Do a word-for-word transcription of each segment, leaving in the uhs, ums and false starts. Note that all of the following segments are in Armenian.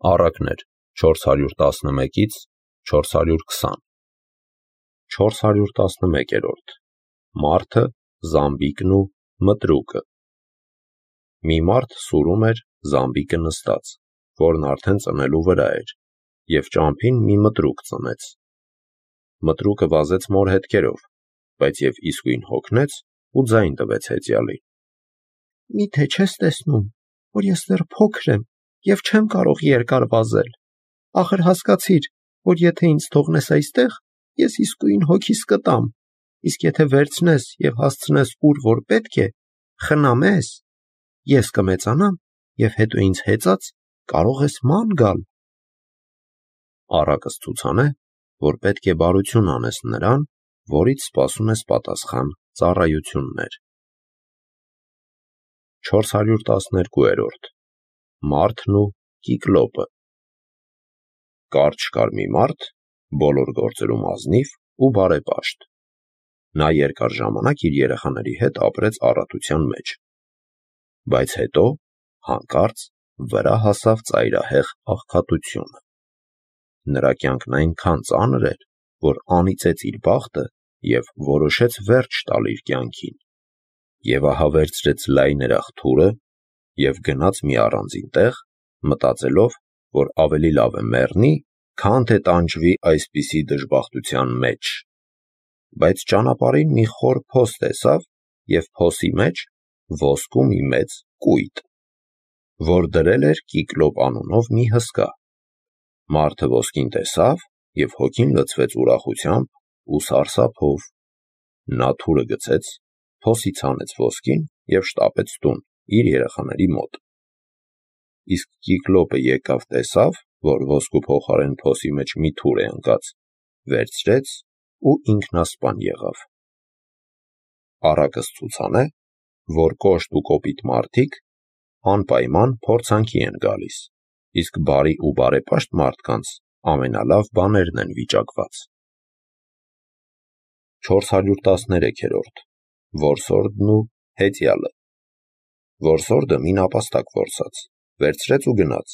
Առակներ չորս հարյուր տասնմեկից չորս հարյուր քսան չորս հարյուր տասնմեկերորդ Մարդը, Զամբիկն ու Մտրուկը։ Մի մարդ սուրում էր Զամբիկը նստած, որն արդեն ծնելու վրա էր, և ճամփին մի մտրուկ ծնեց։ Մտրուկը վազեց մոր հետքերով, բայց և իսկույն հոգնեց ու ձայն տվեց հեծյալին. Մի՞թե չես տեսնում, որ ես դեռ փոքր եմ և չեմ կարող երկար վազել։ Ախր հասկացիր, որ եթե ինձ թողնես այստեղ, ես իսկույն հոգիս կտամ, իսկ եթե վերցնես և հասցնես ուր որ պետք է, խնամես, ես կմեծանամ և հետո ինձ հեծած կարող ես ման գալ։ Առակս ցուցանե, որ պետք է բարություն անես նրան, որից սպասում ես պատասխան ծառայություններ։ չորս հարյուր տասներկուերորդ Մարդն ու Կիկլոպը։ Կարճ կար մի մարդ, բոլոր գործերում ազնիվ ու բարեպաշտ։ Նա երկար ժամանակ իր երեխաների հետ ապրեց առատության մեջ, բայց հետո հանկարծ վրա հասավ ծայրահեղ աղքատությունը։ Նրա կյանքն այնքան ծանր էր, որ անիծեց իր բախտը և որոշեց վերջ տալ իր կյանքին, և ահա վերցրեց լայներախ թուրը և գնաց մի առանձին տեղ, մտածելով, որ ավելի լավ է մեռնի, քան թե տանջվի այսպիսի դժբախտության մեջ։ Բայց ճանապարհին մի խոր փոս տեսավ և փոսի մեջ ոսկու մի մեծ կույտ, որ դրել էր Կիկլոպ անունով մի հսկա։ Մարդը ոսկին տեսավ և հոգին լցվեց ուրախությամբ ու սարսափով։ Նա թուրը գցեց, փոսից հանեց ոսկին և շտապեց տուն իր երեխաների մոտ։ Իսկ Կիկլոպը եկավ տեսավ, որ ոսկու փոխարեն փոսի մեջ մի թուր է ընկած, վերցրեց ու ինքնասպան եղավ։ Առակս ցուցանե, որ կոշտ ու կոպիտ մարդիկ անպայման փորձանքի են գալիս, իսկ բարի ու բարեպաշտ մարդկանց ամենալավ բաներն են վիճակված։ չորս հարյուր տասներեքերորդ Որսորդն ու հեծյալը։ Որսորդը մի նապաստակ որսաց, վերցրեց ու գնաց,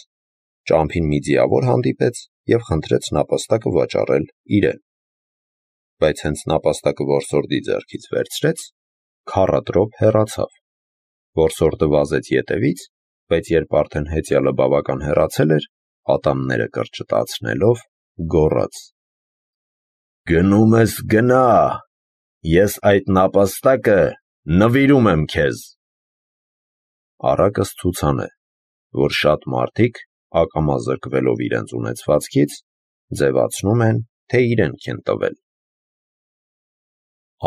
ճամփին մի ձիավոր հանդիպեց և խնդրեց նապաստակը վաճառել իրեն։ Բայց հենց նապաստակը որսորդի ձեռքից վերցրեց, քառատրոփ հեռացավ։ Որսորդը վազեց ետևից, բայց երբ արդեն հեծյալը բավական հեռացել էր, ատամները կրճտացնելով գոռաց. «Գնում ես գնա, ես այդ նապաստակը նվիրում եմ քեզ»։ Առակս ցուցանե, որ շատ մարդիկ ակամա զրկվելով իրենց ունեցվածքից, ձևացնում են, թե իրենք են տվել։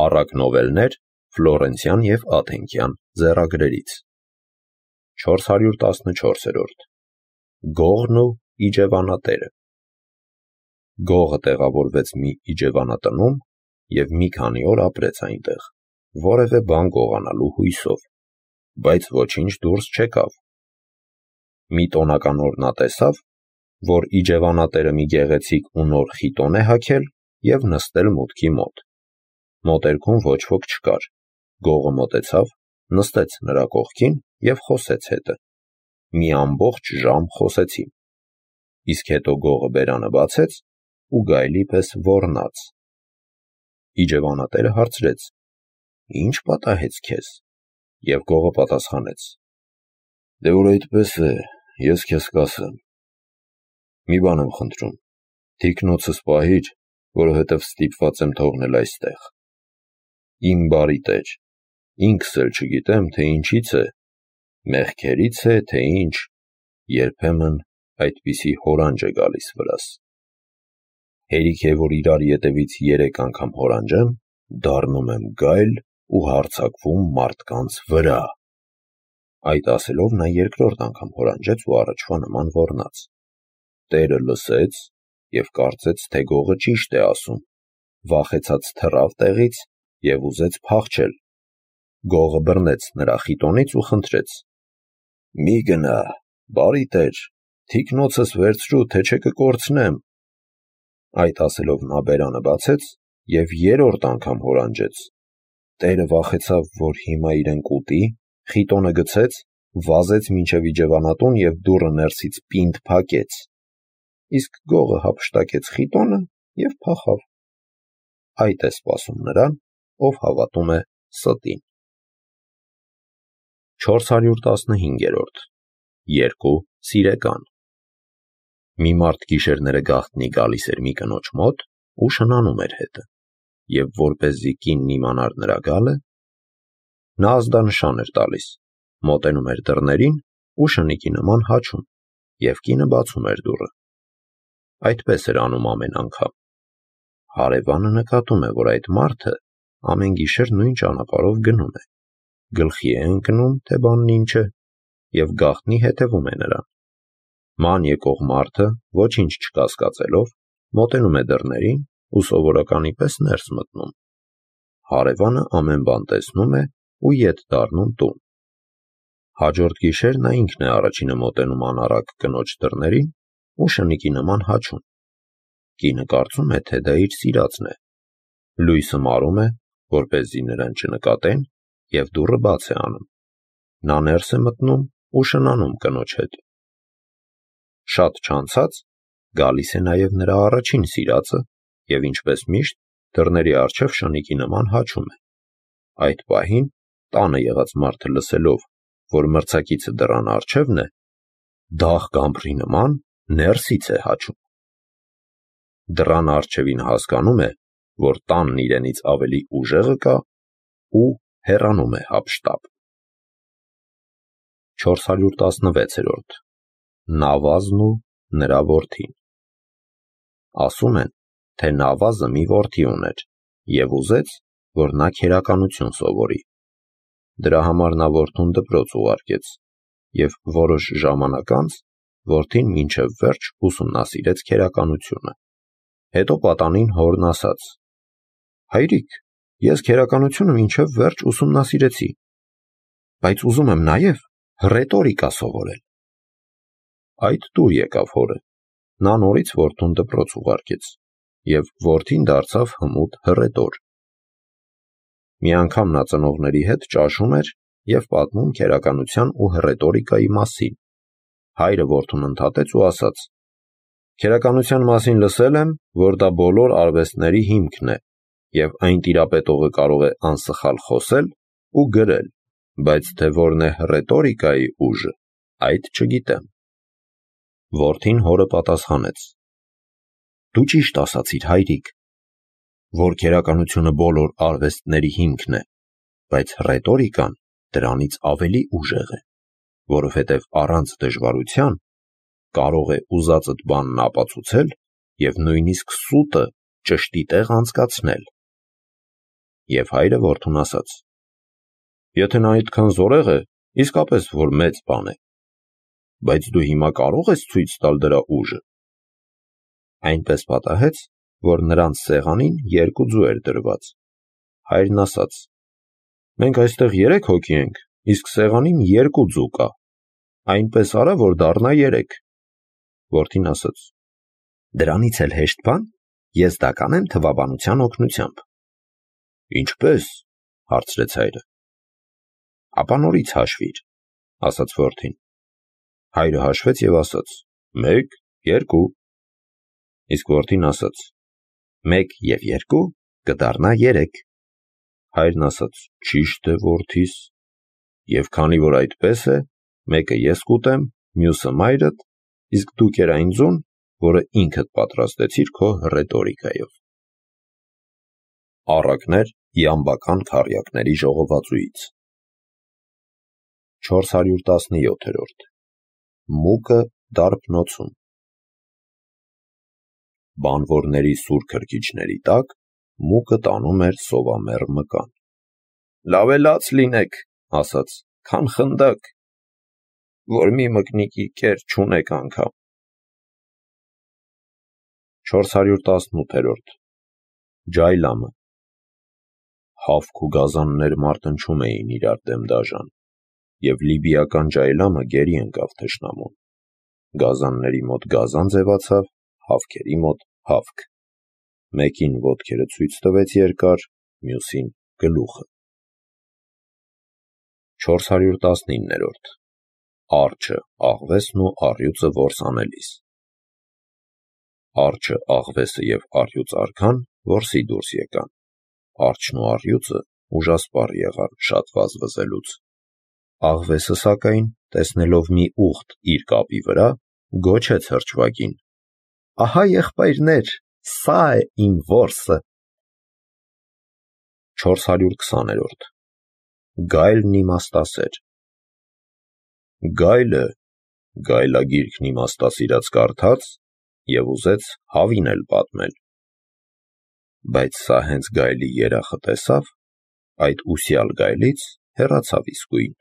Առակ նովելներ Ֆլորենցյան և Աթենկյան ձեռագրերից։ չորս հարյուր տասնչորսերորդ Գողն ու իջևանատերը։ Գողը տեղավորվեց մի իջևանատնում և մի քանի օր ապրեց այնտեղ, որևէ բան գողանալու հույսով, բայց ոչինչ դուրս չեկավ։ Մի տոնական օր նա տեսավ, որ իջևանատերը մի գեղեցիկ ու նոր խիտոն է հագել և նստել մուտքի մոտ։ Մոտերքում ոչ ոք չկար։ Գողը մոտեցավ, նստեց նրա կողքին և խոսեց հետը։ Մի ամբողջ ժամ խոսեցին, իսկ հետո գողը բերանը բացեց ու գայլի պես ոռնաց։ Իջևանատերը հարցրեց. «Ի՞նչ պատահեց քեզ»։ Եվ գողը պատասխանեց. «Դե որ այդպես է, ես քեզ կասեմ։ Մի բան եմ խնդրում, թիկնոցս պահիր, որովհետև ստիպված եմ թողնել այստեղ։ Իմ բարի տեր, ինքս էլ չգիտեմ, թե ինչից է, մեղքերից է, թե ինչ, երբեմն այդպիսի հորանջ է գալիս վրաս։ Հերիք է, որ իրար ետևից երեք անգամ հորանջեմ, դառնում եմ գայլ ու հարձակվում մարդկանց վրա»։ Այդ ասելով նա երկրորդ անգամ հորանջեց ու առաջվա նման ոռնաց։ Տերը լսեց և կարծեց, թե գողը ճիշտ է ասում, վախեցած թռավ տեղից և ուզեց փախչել։ Գողը բռնեց նրա խիտոնից ու խնդրեց. «Մի գնա, բարի տեր, թիկնոցս վերցրու, թե չէ կկորցնեմ»։ Այդ ասելով նա բերանը բացեց և երրորդ անգամ հորանջեց։ Տերը վախեցավ, որ հիմա իրեն կուտի, խիտոնը գցեց, վազեց մինչև իջևանատուն և դուռը ներսից պինդ փակեց։ իսկ գողը հափշտակեց խիտոնը և փախավ։ Այդ է սպասում նրան, ով հավատում է ստին։ չորս հարյուր տասնհինգերորդ. Երկու սիրեկան։ Մի մարդ գիշերները գաղտնի գալիս էր մի կնոջ մոտ ու շնանում էր հետը, և որպեսզի կինն իմանար նրա գալը, նա ազդանշան էր տալիս, մոտենում էր դռներին ու շնիկի նման հաչում, և կինը բացում էր դուռը։ Այդպես էր անում ամեն անգամ։ Հարևանը նկատում է, որ այդ մարդը ամեն գիշեր նույն ճանապարհով գնում է, գլխի է ընկնում, թե բանն ինչ է, և գաղտնի հետևում է նրան։ Ման եկող մարդը, ոչինչ չկասկածելով, մոտենում է դռներին ու սովորականի պես ներս մտնում։ Հարևանը ամեն բան տեսնում է ու ետ դառնում տուն։ Հաջորդ գիշեր նա ինքն է առաջինը մոտենում անառակ կնոջ դռներին ու շնիկի նման հաչում։ Կինը կարծում է, թե դա իր սիրածն է, լույսը մարում է, որպեսզի նրան չնկատեն, և դուռը բաց է անում։ Նա ներս է մտնում ու շնանում կնոջ հետ։ Շատ չանցած գալիս է նաև նրա առաջին սիրածը և ինչպես միշտ դռների առջև շնիկի նման հաչում է։ Այդ պահին տանը եղած մարդը լսելով, որ մրցակիցը դռան առջևն է, դաղ գամբրի նման ներսից է հաչում։ Դռան առջևին հասկանում է, որ տանն իրենից ավելի ուժեղը կա ու հեռանում է հափշտապ։ չորս հարյուր տասնվեցերորդ. Նավազն ու նրա որդին։ Ասում են, թե Նավազը մի որդի ուներ և ուզեց, որ նա քերականություն սովորի։ Դրա համար նա որդուն դպրոց ուղարկեց և որոշ ժամանակ անց որդին մինչև վերջ ուսումնասիրեց քերականությունը։ Հետո պատանին հորն ասաց. «Հայրիկ, ես քերականությունը մինչև վերջ ուսումնասիրեցի, բայց ուզում եմ նաև հռետորիկա սովորել»։ Այդ տուր եկավ հորը, նա նորից որդուն դպրոց ուղարկեց, և որդին դարձավ հմուտ հռետոր։ Մի անգամ նա ծնողների հետ ճաշում էր և պատմում քերականության ու հռետորիկայի մասին։ Հայրը որդուն ընդհատեց ու ասաց. «Քերականության մասին լսել եմ, որ դա բոլոր արվեստների հիմքն է, և այն տիրապետողը կարող է անսխալ խոսել ու գրել, բայց թե որն է հռետորիկայի ուժը, այդ չգիտեմ»։ Որդին հորը պատասխանեց. «Դու ճիշտ ասացիր, հայրիկ, որ քերականությունը բոլոր արվեստների հիմքն է, բայց հռետորիկան դրանից ավելի ուժեղ է, որովհետև առանց դժվարության կարող է ուզածդ բանն ապացուցել և նույնիսկ սուտը ճշտի տեղ անցկացնել»։ Եվ հայրը որդուն ասաց. «Եթե նա այդքան զորեղ է, իսկապես որ մեծ բան է, բայց դու հիմա կարո՞ղ ես ցույց տալ դրա ուժը»։ Այնպես պատահեց, որ նրանց սեղանին երկու ձու էր դրված։ Հայրն ասաց. «Մենք այստեղ երեք հոգի ենք, իսկ սեղանին երկու ձու կա, այնպես արա, որ դառնա երեք»։ Որդին ասաց. «Դրանից էլ հեշտ բան ես դա կանեմ թվաբանության օգնությամբ»։ «Ինչպե՞ս», հարցրեց հայրը։ «Ապա նորից հաշվիր», ասաց որդին։ Հայրը հաշվեց և ասաց. «Մեկ, երկու»։ Իսկ որդին ասաց. «Մեկ և երկու կդառնա երեք»։ Հայրն ասաց. «Ճիշտ է, որդիս, և քանի որ այդպես է, մեկը ես կուտեմ, մյուսը մայրդ, իսկ դու կեր այն ձուն, որը ինքդ պատրաստեցիր քո հռետորիկայով»։ Առակներ իամբական քառյակների ժողովածուից։ չորս հարյուր տասնյոթերորդ. Մուկը դարբնոցում։ Բանվորների սուր քրքիջների տակ մուկը տանում էր սովամեռ մկան։ «Լավ է լաց լինեք, ասաց, քան խնդակ, որ մի մկնիկի կեր չունեք անգամ»։ չորս հարյուր տասնութերորդ. Ջայլամը։ Հավք ու գազաններ մարտնչում էին իրար դեմ դաժան, և լիբիական ջայլամը գերի ընկավ թշնամուն։ Գազանների մոտ գազան ձևացավ, հավքերի մոտ հավք։ Մեկին ոտքերը ցույց տվեց երկար, մյուսին գլուխը։ չորս հարյուր տասնիններորդ. Արջը, աղվեսն ու առյուծը որսանելիս։ Արջը, աղվեսը և առյուծ արքան որսի դուրս եկան։ Արջն ու առյուծը ուժասպառ եղան շատ վազվզելուց։ Աղվեսը, սակայն, տեսնելով մի ուղտ իր կապի վրա, գոչեց հրճվագին. «Ահա, եղբայրներ, սա է իմ որսը»։ չորս հարյուր քսաներորդ Գայլն իմաստասեր։ Գայլը գայլագիրքն իմաստասիրած կարդաց և ուզեց հավին էլ պատմել։ Բայց սա հենց գայլի երախը տեսավ, այդ ուսյալ գայլից հեռացավ իսկույն։